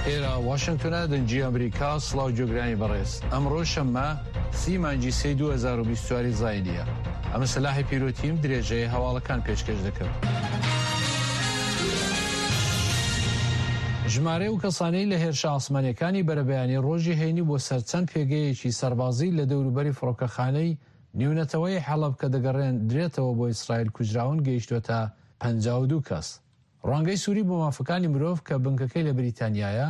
ئێرە واشنگتۆنە دەنگی ئەمریکا سڵاو گوێگرانی بەڕێز ئەمڕۆ شەممە سی مانگی سێی 2024 زاینیە ئەمە سەلاحی پیرۆتیم درێژەی هەواڵەکان پێشکەش دەکەم. ژمارەی ئەو کەسانەی لە هێرشە ئاسمانیەکانی بەرەبەیانی ڕۆژی هەینی بۆ سەر چەند پێگەیەکی سەربازی لە دەوروبەری فڕۆکەخانەی نێونەتەوەیی حەڵەب کە دەگەڕێندرێتەوە بۆ ئیسرائیل کوژراون گەیشتووەتە 52 کەس. ڕوانگەی سوری بۆ مافەکانی مرۆڤ کە بنکەکەی لە بریتانیایە،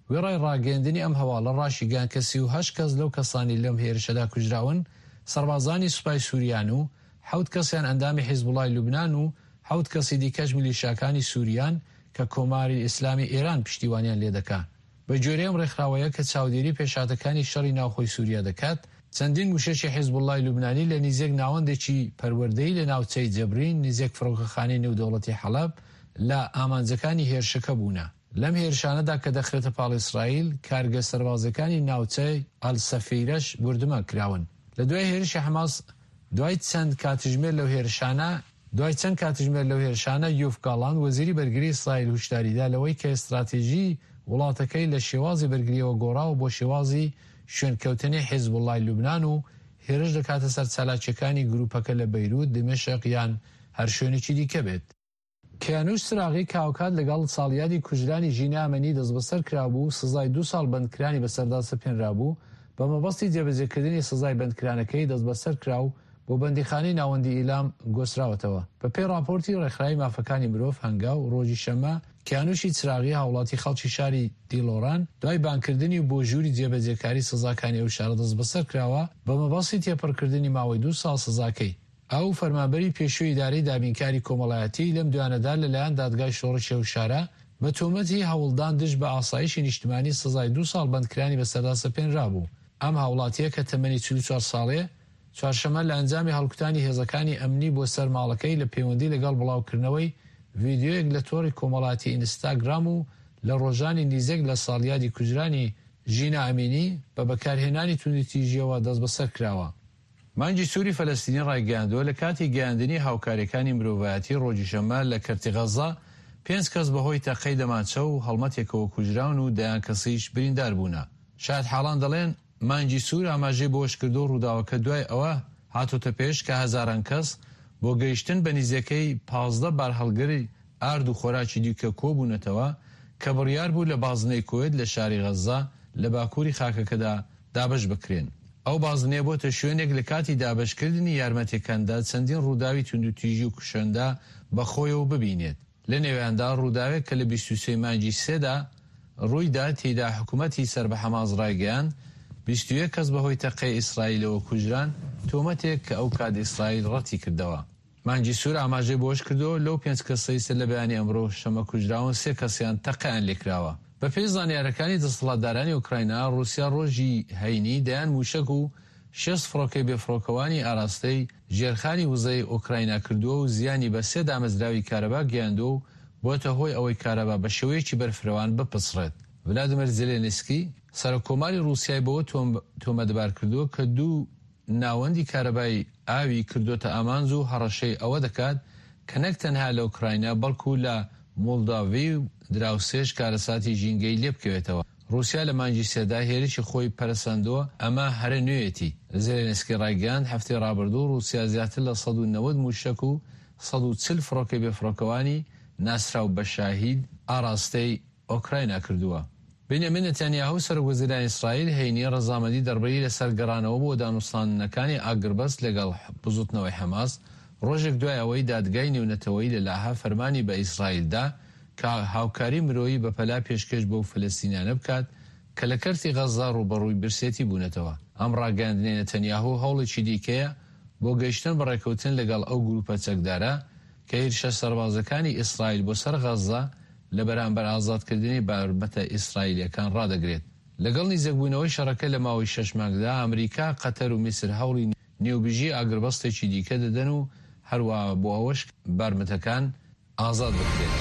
وێڕای ڕاگەیەندنی ئەم هەواڵە ڕاشیگەیاند کە 38 کەس لەو کەسانەی لەم هێرشەدا کوژراون سەربازانی سوپای سوریان و حەوت کەسیان ئەندامی حیزبوڵای لوبنان و حەوت کەسی دیکەش میلیشیاکانی سوریان کە کۆماری ئیسلامی ئێران پشتیوانیان لێدەکا. بە گوێرەی ئەم ڕێکخراوەیە کە چاودێری پێشهاتەکانی شەڕی ناوخۆی سوریا دەکات، چەندین موشەکی حیزبوڵڵای لوبنانی لە نیزێک ناوەندێکی پەروەردەیی لە ناوچەی جەبرین نیزێک فڕۆکەخانەی نێودەوڵەتی حەڵەب لە ئامانجەکانی هێرشەکە بوونە. لەم هێرشانەدا کە دەخرێتە پاڵ ئیسرائیل، کارگە سەربازیەکانی ناوچەی ئەلسەفیرەش بوردمان کراون. لە دوای هێرشی حەماس دوای چەند کاتژمێر لەو هێرشانە، دوای چەند کاتژمێر لەو هێرشانە، یوف گاڵانت، وەزیری بەرگری ئیسرائیل هوشداریدا لەوەی کە ستراتیژیی وڵاتەکەی لە شێوازی بەرگرییەوە گۆڕاوە بۆ شێوازی شوێنکەوتنی حیزبوڵڵای لوبنان و هێرش دەکاتە سەر چالاکییەکانی گرووپەکە لە بەیروت، دیمەشق یان هەر شوێنێکی دیکە بێت. کیانوش چراغی کە هاوکات لەگەڵ ساڵیادی کوژرانی ژینا ئەمینی دەستبەسەر کرابوو و سزای دوو ساڵ بەندکرانی بەسەردا سەپێنرابوو، بە مەبەستی جێبەجێکردنی سزای بەندکرانەکەی دەستبەسەر کرا و بۆ بەندیخانەی ناوەندی ئیلام گۆستراوەتەوە. بەپێی ڕاپۆرتی ڕێکخراوی مافەکانی مرۆڤ، هەنگاو، ڕۆژی شەممە، کیانوشی چراغی هاوڵاتی خەڵکی شاری دیڵۆران، دوای بانگکردنی بۆ ژووری جێبەجێکاری سزاکانی ئەو شارە دەستبەسەر کراوە، بە مەبەستی تێپەڕکردنی ماوەی دوو ساڵ سزاکەی. ئەو فەرمانبەری پێشووی ئیدارەی دابینکاری کۆمەڵایەتی لەم دوایانەدا لەلایەن دادگای شۆڕشی ئەو شارە بە تۆمەتی هەوڵدان دژ بە ئاسایشی نیشتمانی سزای دوو ساڵ بەندکرانی بەسەردا سەپێنرابوو. ئەم هاوڵاتییە کە تەمەنی 44 ساڵەیە، چوارشەممە لە ئەنجامی هەڵکوتانی هێزەکانی ئەمنی بۆ سەر ماڵەکەی لە پەیوەندی لەگەڵ بڵاوکردنەوەی ڤیدیۆیەک لە تۆڕی کۆمەڵاتی ئینستاگرام و لە ڕۆژانی نیزێک لە ساڵیادی کوژرانی ژینا ئەمینی بە بەکارهێنانی توندوتیژییەوە دەستبەسەر کراوە. مانگی سووری فەلەستینی ڕایگەیاندووە، لە کاتی گەیاندنی هاوکارییەکانی مرۆڤایەتی ڕۆژی شەممە لە کەرتی غەززە، پێنج کەس بەهۆی تەقەی دەمانچە و هەڵمەتێکەوە کوژراون و دەیان کەسیش بریندار بوونە. شایەتحاڵان دەڵێن، مانگی سوور ئاماژەی بەوەشکردووە، ڕووداوەکە دوای ئەوە هاتۆتە پێش کە هەزاران کەس بۆ گەیشتن بە نیزیکەی 15 بارهەڵگری ئارد و خۆراکی دیکە کۆبوونەتەوە کە بڕیار بوو لە بازنەی کوێت لە شاری غەززە لە باکووری خاکەکەدا دابەش بکرێن. ئەو بازنەیە بۆتە شوێنێک لە کاتی دابەشکردنی یارمەتیەکاندا چەندین ڕووداوی توندوتیژی و کوشندە بەخۆیەوە ببینێت، لە نێویاندا ڕووداوێک کە لە 23 مانگی سێدا ڕوویدا تێیدا حکومەتی سەر بە حەماس ڕایگەیاند 21 کەس بەهۆی تەقەی ئیسرائیلەوە کوژران، تۆمەتێک کە ئەوکات ئیسرائیل ڕەتیکردەوە. مانگی سوور ئاماژەی بەوەشکردووە، لەو پێنج کەسەی سەر لە بەیانی ئەمڕۆ شەمە کوژراون، سێ کەسیان تەقەیان لێکراوە. بەپێی زانیارەکانی دەسەڵاتدارانی ئۆکراینا، ڕووسیا ڕۆژی هەینی دەیان مووشەک و 60 فڕۆکەی بێفڕۆکەوانی ئاراستەی ژێرخانی وزەی ئۆکراینا کردووە و زیانی بە سێ دامەزراوی کارەبا گەیاندووە و بۆتە هۆی ئەوەی کارەبا بە شێوەیەکی بەرفرەوان بپچڕێت. ڤلادیمێر زێلێنسکی، سەرۆککۆماری ڕووسیای بەوە تۆمەتبارکردووە کە دوو ناوەندی کارەبای ئاوی کردۆتە ئامانج و هەڕەشەی ئەوە دەکات کە نەک تەنها لە ئۆکراینا بەڵکو لە مۆڵداڤی و دراوسێش کارەساتی ژینگەیی لێبکەوێتەوە. ڕووسیا لە مانگی سێدا هێرشی خۆی پەرەسەندووە، ئەمە هەرە نوێیەتی. زێلێنسکی ڕایگەیاند، هەفتەی ڕابردوو ڕووسیا زیاتر لە 190 مووشەک و 140 فڕۆکەی بێفڕۆکەوانی ناسراو بە شاهید ئاڕاستەی ئۆکراینا کردووە. بنیامین نەتانیاهو، سەرۆکوەزیرانی ئیسرائیل هەینی ڕەزامەندی دەربڕی لەسەر گەڕانەوە بۆ دانوستاندنەکانی ئاگربەست لەگەڵ بزوتنەوەی حەماس، ڕۆژێک دوای ئەوەی دادگای نێونەتەوەیی لە لاهە فەرمانی بە ئیسرائیل دا کە هاوکاری مرۆیی بەپەلە پێشکێش بەو فەلەستینیانە بکات کە لە کەرتی غەززە ڕووبەڕووی برسێتی بوونەتەوە. ئەم ڕاگەیاندنەی نەتەنیاهو هەوڵێکی دیکەیە بۆ گەیشتن بە ڕێککەوتن لەگەڵ ئەو گروپە چەکدارە کە هیرشە سەربازەکانی ئیسرائیل بۆ سەر غەززە لە بەرامبەر ئازادکردنی بارمتە ئیسرائیلییەکان ڕادەگرێت. لەگەڵ نیزکبوونەوەی شەڕەکە لە ماوەی شەش مانگدا، ئەمریکا، قەتەر و میسر هەوڵی نێوبژی ئاگربەستێکی دیکە دەدەن و هەروەها بۆ ئەوەش بارمتەکان ئازاد بکرێن.